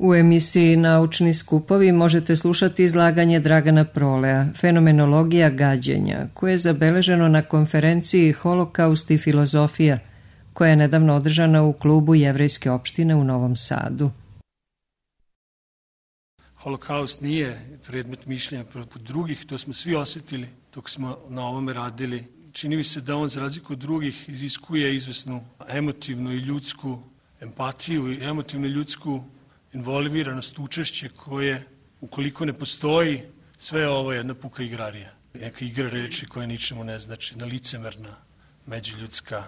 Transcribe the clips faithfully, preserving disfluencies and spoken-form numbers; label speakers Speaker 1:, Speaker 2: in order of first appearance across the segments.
Speaker 1: U emisiji Naučni skupovi možete slušati izlaganje Dragana Prolea, Fenomenologija gađenja, koje je zabeleženo na konferenciji Holokaust i filozofija, koja je nedavno održana u klubu Jevrejske opštine u Novom Sadu.
Speaker 2: Holokaust nije predmet mišljenja protiv drugih, to smo svi osjetili dok smo na ovome radili. Čini mi se da on, za razliku od drugih, iziskuje izvesnu emotivnu i ljudsku empatiju i emotivnu i ljudsku involviranost, učešće koje, ukoliko ne postoji, sve ovo je jedna puka igrarija. Neka igra reči koja ničemu ne znači, jedna licemerna međuljudska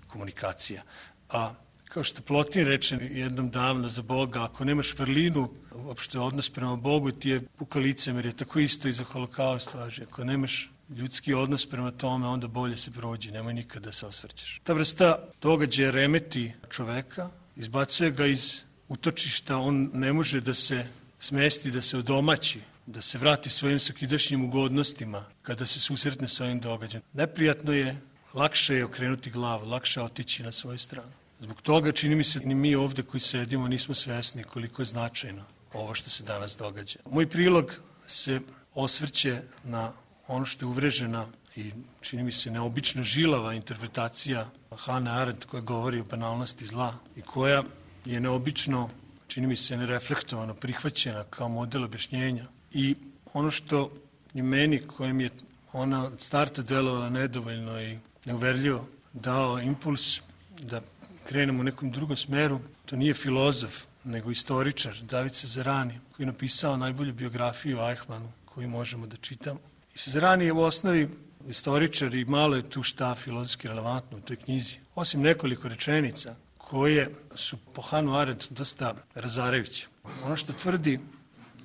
Speaker 2: komunikacija. A kao što Plotin reče jednom davno za Boga, ako nemaš vrlinu, uopšte odnos prema Bogu ti je puka licemerje, tako isto i za Holokaust važi. Ako nemaš ljudski odnos prema tome, onda bolje se prođi, nemoj nikada da se osvrćeš. Ta vrsta događaja remeti čoveka, izbacuje ga iz utočišta, on ne može da se smesti, da se odomaći, da se vrati svojim svakidašnjim ugodnostima kada se susretne sa ovim događajem. Neprijatno je, lakše je okrenuti glavu, lakše je otići na svoju stranu. Zbog toga čini mi se ni mi ovde koji sedimo nismo svesni koliko je značajno ovo što se danas događa. Moj prilog se osvrće na ono što je uvrežena i čini mi se neobično žilava interpretacija Hannah Arendt koja govori o banalnosti zla i koja je neobično, čini mi se, nereflektovano prihvaćena kao model objašnjenja. I ono što je meni, kojem je ona od starta delovala nedovoljno i neuverljivo, dao impuls da krenemo u nekom drugom smeru, to nije filozof, nego istoričar, David Cezarani, koji je napisao najbolju biografiju o Eichmannu koju možemo da čitamo. I Cezarani je u osnovi istoričar i malo je tu šta filozofski relevantno u toj knjizi. Osim nekoliko rečenica koje su po Hannah Arendt dosta razarajuće. Ono što tvrdi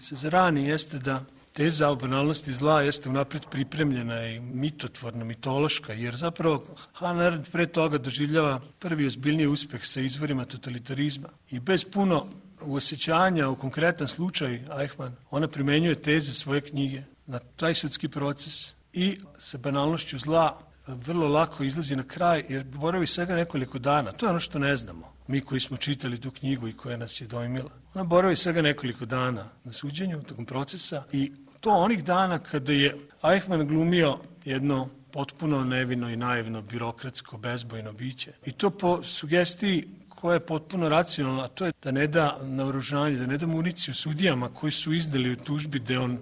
Speaker 2: Cezarani jeste da teza o banalnosti zla jeste unapred pripremljena i mitotvorna, mitološka, jer zapravo Hannah Arendt pre toga doživljava prvi ozbiljniji uspeh sa izvorima totalitarizma i bez puno uosjećanja u konkretan slučaj Eichmann, ona primenjuje teze svoje knjige na taj sudski proces i sa banalnošću zla vrlo lako izlazi na kraj jer boravi svega nekoliko dana. To je ono što ne znamo, mi koji smo čitali tu knjigu i koja nas je dojmila. Ona boravi svega nekoliko dana na suđenju tokom procesa i to onih dana kada je Eichmann glumio jedno potpuno nevino i naivno birokratsko bezbojno biće. I to po sugestiji koja je potpuno racionalna, a to je da ne da naoružanje, da ne da municiju sudijama koji su izdali u tužbi da je on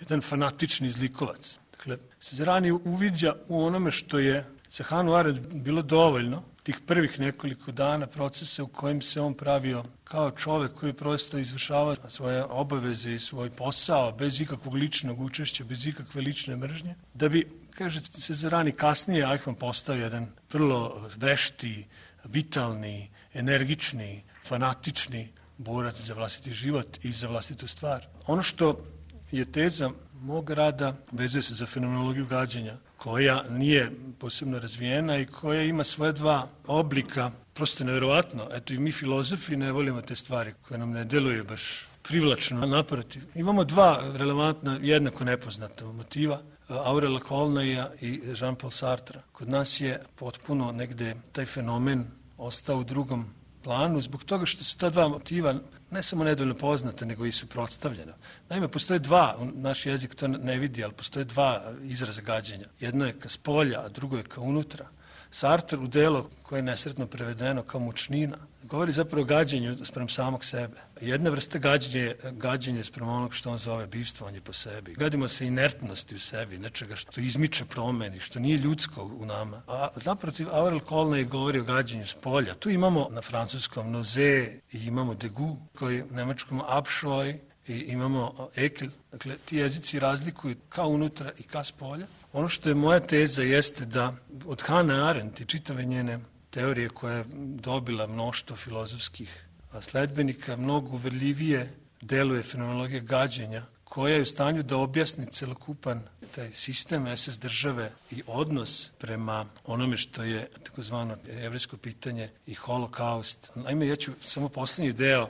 Speaker 2: jedan fanatični zlikovac. Dakle, Cezarani uviđa u onome što je za Hannah Arendt bilo dovoljno tih prvih nekoliko dana procesa u kojim se on pravio kao čovek koji prosto izvršava svoje obaveze i svoj posao bez ikakvog ličnog učešća, bez ikakve lične mržnje, da bi, kaže Cezarani, kasnije Eichmann postao jedan vrlo vešti, vitalni, energični, fanatični borac za vlastiti život i za vlastitu stvar. Ono što je teza mog rada vezuje se za fenomenologiju gađenja, koja nije posebno razvijena i koja ima svoje dva oblika. Prosto je nevjerovatno. Eto i mi filozofi ne volimo te stvari koje nam ne deluju baš privlačno. Naprotiv, imamo dva relevantna, jednako nepoznata motiva, Aurela Colneja i Jean-Paul Sartra. Kod nas je potpuno negde taj fenomen ostao u drugom planu zbog toga što su ta dva motiva ne samo nedovoljno poznata, nego i suprotstavljena. Naime, postoje dva, naš jezik to ne vidi, ali postoje dva izraza gađenja. Jedno je ka spolja, a drugo je ka unutra. Sartre u delo koje je nesretno prevedeno kao mučnina govori zapravo o gađenju sprem samog sebe. Jedna vrsta gađenja je gađenje sprem onog što on zove bivstvovanje po sebi. Gadimo se inertnosti u sebi, nečega što izmiče promeni, što nije ljudsko u nama. A naprotiv, Aurel Colney govori o gađenju spolja. Tu imamo na francuskom noze i imamo degu, koji u nemačkom abscheu i imamo ekel. Dakle, ti jezici razlikuju ka unutra i ka spolja. Ono što je moja teza jeste da od Hannah Arendt i čitave njene teorije koja je dobila mnoštvo filozofskih sledbenika, mnogo uverljivije deluje fenomenologija gađenja, koja je u stanju da objasni celokupan taj sistem es es države i odnos prema onome što je takozvano jevrejsko pitanje i holokaust. Naime, ja ću samo poslednji deo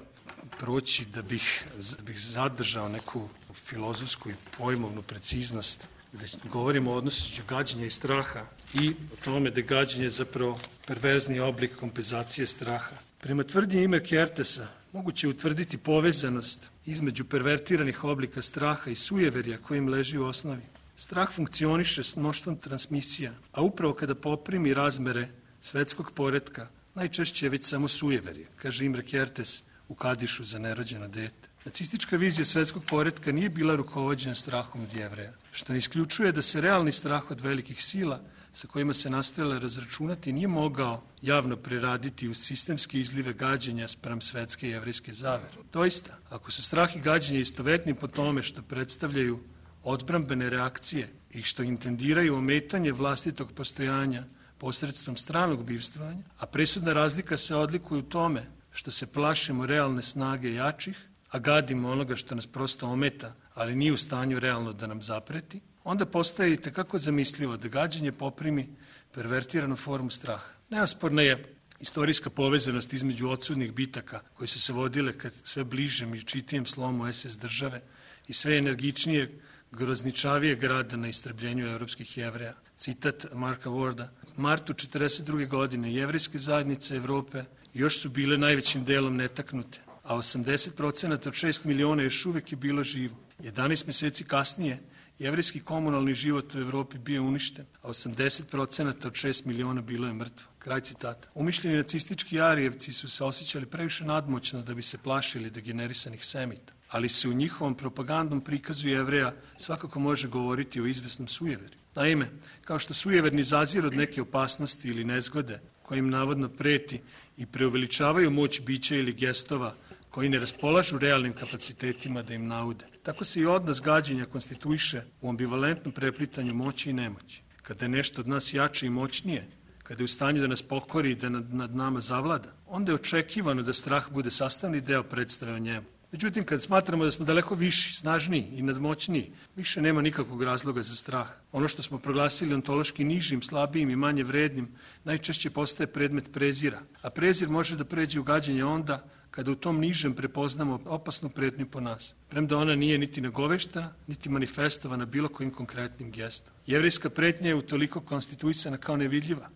Speaker 2: proći da bih, da bih zadržao neku filozofsku i pojmovnu preciznost, da govorimo o odnosu gađenja i straha i o tome da je gađenje zapravo perverzni oblik kompenzacije straha. Prema tvrdnji ime Kertesa, moguće je utvrditi povezanost između pervertiranih oblika straha i sujeverja kojim leži u osnovi. Strah funkcioniše s mnoštvom transmisija, a upravo kada poprimi razmere svetskog poretka, najčešće je već samo sujeverje, kaže Imre Kertész u Kadišu za nerođeno dete. Nacistička vizija svetskog poretka nije bila rukovođena strahom od Jevreja, što ne isključuje da se realni strah od velikih sila sa kojima se nastojala razračunati nije mogao javno preraditi u sistemske izlive gađenja spram svetske jevrejske zavere. Doista, ako su strah i gađenje istovetni po tome što predstavljaju odbrambene reakcije i što intendiraju ometanje vlastitog postojanja posredstvom stranog bivstvovanja, a presudna razlika se odlikuje u tome što se plašimo realne snage jačih, a gadimo onoga što nas prosto ometa, ali nije u stanju realno da nam zapreti, onda postaje i tekako zamislivo da gađenje poprimi pervertiranu formu straha. Neosporna je istorijska povezanost između odsudnih bitaka koje su se vodile kad sve bližem i čitijem slomu es es države i sve energičnije, grozničavije grada na istrebljenju evropskih Jevreja. Citat Marka Warda. Martu četrdeset druge godine jevrejske zajednice Evrope još su bile najvećim delom netaknute, a osamdeset procenata od šest miliona još uvek je bilo živo. jedanaest meseci kasnije jevrejski komunalni život u Evropi bio uništen, a osamdeset procenata od šest miliona bilo je mrtvo. Kraj citata. Umišljeni nacistički Arijevci su se osjećali previše nadmoćno da bi se plašili degenerisanih Semita, ali se u njihovom propagandnom prikazu Jevreja svakako može govoriti o izvesnom sujeverju. Naime, kao što sujeverni zazir od neke opasnosti ili nezgode kojim navodno preti i preuveličavaju moć bića ili gestova koji ne raspolažu realnim kapacitetima da im naude. Tako se i odnos gađenja konstituiše u ambivalentnom preplitanju moći i nemoći. Kada je nešto od nas jače i moćnije, kada je u stanju da nas pokori i da nad, nad nama zavlada, onda je očekivano da strah bude sastavni deo predstave o njemu. Međutim, kad smatramo da smo daleko viši, snažniji i nadmoćniji, više nema nikakvog razloga za strah. Ono što smo proglasili ontološki nižim, slabijim i manje vrednim, najčešće postaje predmet prezira. A prezir može da pređe u gađenje onda kada u tom nižem prepoznamo opasnu pretnju po nas, premda ona nije niti nagoveštena, niti manifestovana bilo kojim konkretnim gestom. Jevrejska pretnja je utoliko konstituisana kao nevidljiva,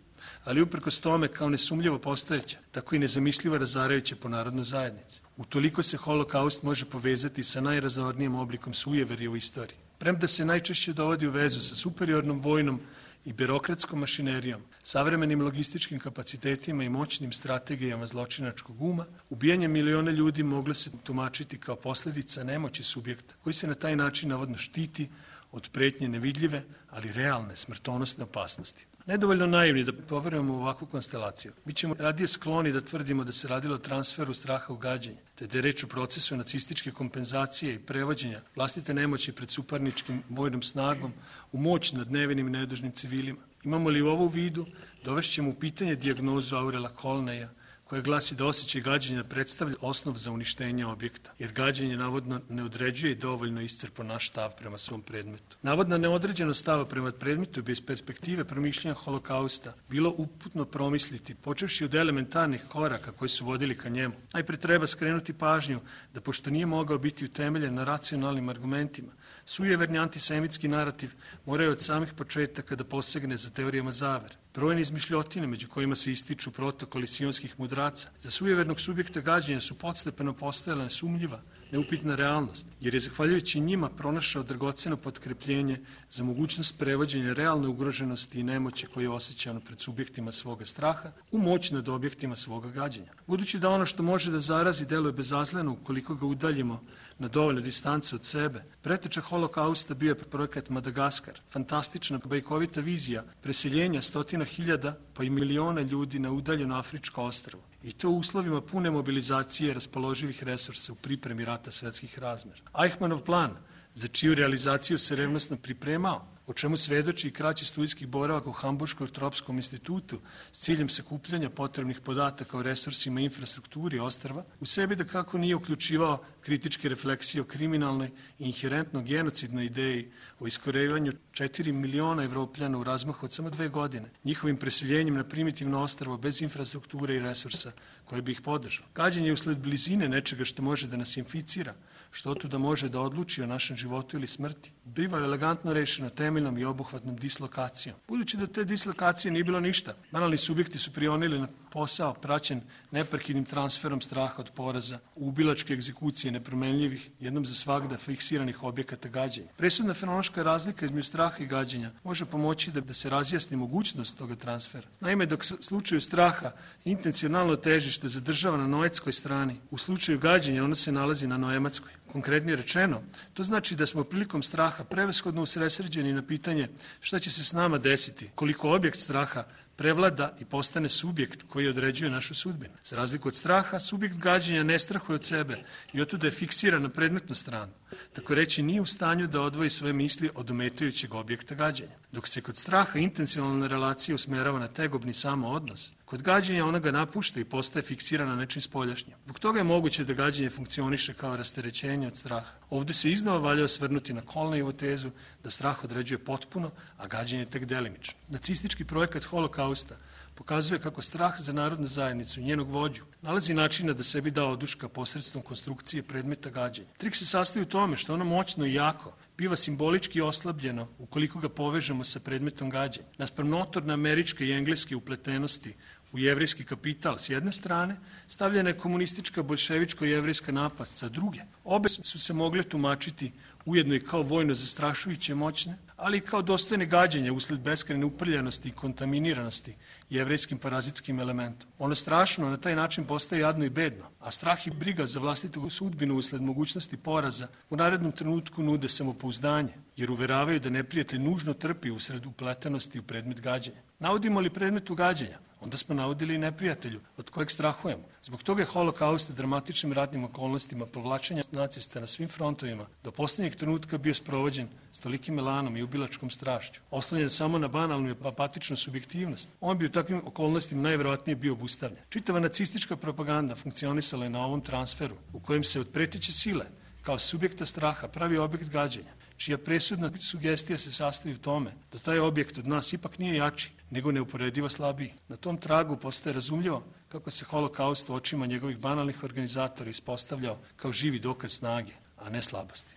Speaker 2: ali uprkos tome kao nesumljivo postojeća, tako i nezamislivo razarajuća po narodnu zajednicu. Utoliko se holokaust može povezati sa najrazornijim oblikom sujeverja u istoriji. Premda se najčešće dovodi u vezu sa superiornom vojnom i birokratskom mašinerijom, savremenim logističkim kapacitetima i moćnim strategijama zločinačkog uma, ubijanje miliona ljudi moglo se tumačiti kao posljedica nemoći subjekta, koji se na taj način navodno štiti od pretnje nevidljive, ali realne smrtonosne opasnosti. Nedovoljno naivni da poverujemo u ovakvu konstelaciju. Mi ćemo radije skloni da tvrdimo da se radilo o transferu straha u gađenje, te da je reč o procesu nacističke kompenzacije i prevođenja vlastite nemoći pred suparničkim vojnom snagom u moć nad nevinim i nedužnim civilima. Imamo li u ovu vidu, dovešćemo u pitanje dijagnozu Aurela Kolneja, koja glasi da osjećaj gađenja predstavlja osnov za uništenje objekta, jer gađenje navodno ne određuje i dovoljno iscrpo naš stav prema svom predmetu. Navodna neodređenost stava prema predmetu bez perspektive promišljanja holokausta bilo uputno promisliti, počevši od elementarnih koraka koji su vodili ka njemu. Najpre treba skrenuti pažnju da pošto nije mogao biti utemeljen na racionalnim argumentima, sujeverni antisemitski narativ moraju od samih početaka da posegne za teorijama zavere. Brojne izmišljotine među kojima se ističu protokoli sionskih mudraca za sujevernog subjekta gađenja su podstepeno postajala nesumljiva, neupitna realnost, jer je zahvaljujući njima pronašao dragoceno potkrepljenje za mogućnost prevođenja realne ugroženosti i nemoći koje je osjećano pred subjektima svoga straha u moć nad objektima svoga gađenja. Budući da ono što može da zarazi deluje bezazleno ukoliko ga udaljimo na dovoljnu distancu od sebe, preteča holokausta bio je projekat Madagaskar, fantastična bajkovita vizija preseljenja stotina hiljada pa i miliona ljudi na udaljeno afričko ostrvo. I to u uslovima pune mobilizacije raspoloživih resursa u pripremi rata svetskih razmera. Eichmannov plan, za čiju realizaciju se revnosno pripremao, o čemu svedoči i kraći studijski boravak u Hamburškom tropskom institutu s ciljem sakupljanja potrebnih podataka o resursima i infrastrukturi ostrva, u sebi da kako nije uključivao kritičke refleksije o kriminalnoj i inherentno genocidnoj ideji o iskorejivanju četiri miliona Evropljana u razmahu od samo dve godine, njihovim preseljenjem na primitivno ostrvo bez infrastrukture i resursa koji bi ih podržao. Gađenje je usled blizine nečega što može da nas inficira, što tu da može da odluči o našem životu ili smrti. Biva elegantno rešeno temeljnom i obuhvatnom dislokacijom. Budući da te dislokacije nije bilo ništa, banalni subjekti su prionili na posao praćen neprekidnim transferom straha od poraza, ubilačke egzekucije nepromenljivih, jednom za svagda fiksiranih objekata gađenja. Presudna fenološka razlika između straha i gađenja može pomoći da, da se razjasni mogućnost toga transfera. Naime, dok u slučaju straha intencionalno težište zadržava na noetskoj strani, u slučaju gađenja ono se nalazi na noematskoj. Konkretnije rečeno, to znači da smo prilikom straha prevashodno usredsređeni na pitanje šta će se s nama desiti, koliko objekt straha prevlada i postane subjekt koji određuje našu sudbinu. Za razliku od straha, subjekt gađenja ne strahuje od sebe i otuda je fiksiran na predmetnu stranu. Tako reći, nije u stanju da odvoji svoje misli od ometajućeg objekta gađenja. Dok se kod straha intencionalna relacija usmerava na tegobni samo odnos, kod gađenja ona ga napušta i postaje fiksirana nečim spoljašnjim. Zbog toga je moguće da gađenje funkcioniše kao rasterećenje od straha. Ovde se iznova valja osvrnuti na Kolnejevu tezu da strah određuje potpuno, a gađenje tek delimično. Nacistički projekat Holokausta pokazuje kako strah za narodnu zajednicu i njenog vođu nalazi načina da sebi da oduška posredstvom konstrukcije predmeta gađenja. Trik se sastoji u tome što ono moćno i jako biva simbolički oslabljeno ukoliko ga povežemo sa predmetom gađenja. Naspram notorne američke i engleske upletenosti u jevrijski kapital s jedne strane, stavljena je komunistička boljševičko-jevrijska napast sa druge. Obe su se mogle tumačiti ujedno i kao vojno zastrašujuće moćne, ali i kao dostojne gađenja usled beskrajne uprljanosti i kontaminiranosti jevrijskim parazitskim elementom. Ono strašno na taj način postaje jadno i bedno, a strah i briga za vlastitu sudbinu usled mogućnosti poraza u narednom trenutku nude samopouzdanje, jer uveravaju da neprijatelj nužno trpi usred upletenosti u predmet gađenja. Navodimo li predmetu gađenja, onda smo navodili i neprijatelju od kojeg strahujemo. Zbog toga je Holokaust dramatičnim ratnim okolnostima povlačenja nacista na svim frontovima do poslednjeg trenutka bio sprovođen s tolikim elanom i ubilačkom strašću. Oslonjen samo na banalnu i apatičnu subjektivnost, on bi u takvim okolnostima najverovatnije bio obustavljen. Čitava nacistička propaganda funkcionisala je na ovom transferu, u kojem se od preteće sile, kao subjekta straha, pravi objekt gađenja, čija presudna sugestija se sastoji u tome da taj objekt od nas ipak nije jači, nego neuporedivo slabiji. Na tom tragu postaje razumljivo kako se Holokaust u očima njegovih banalnih organizatora ispostavljao kao živi dokaz snage, a ne slabosti.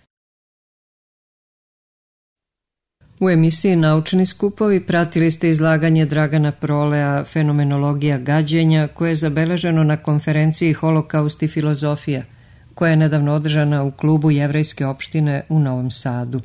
Speaker 1: U emisiji Naučni skupovi pratili ste izlaganje Dragana Prolea Fenomenologija gađenja, koje je zabeleženo na konferenciji Holokaust i filozofija, koja je nedavno održana u klubu Jevrejske opštine u Novom Sadu.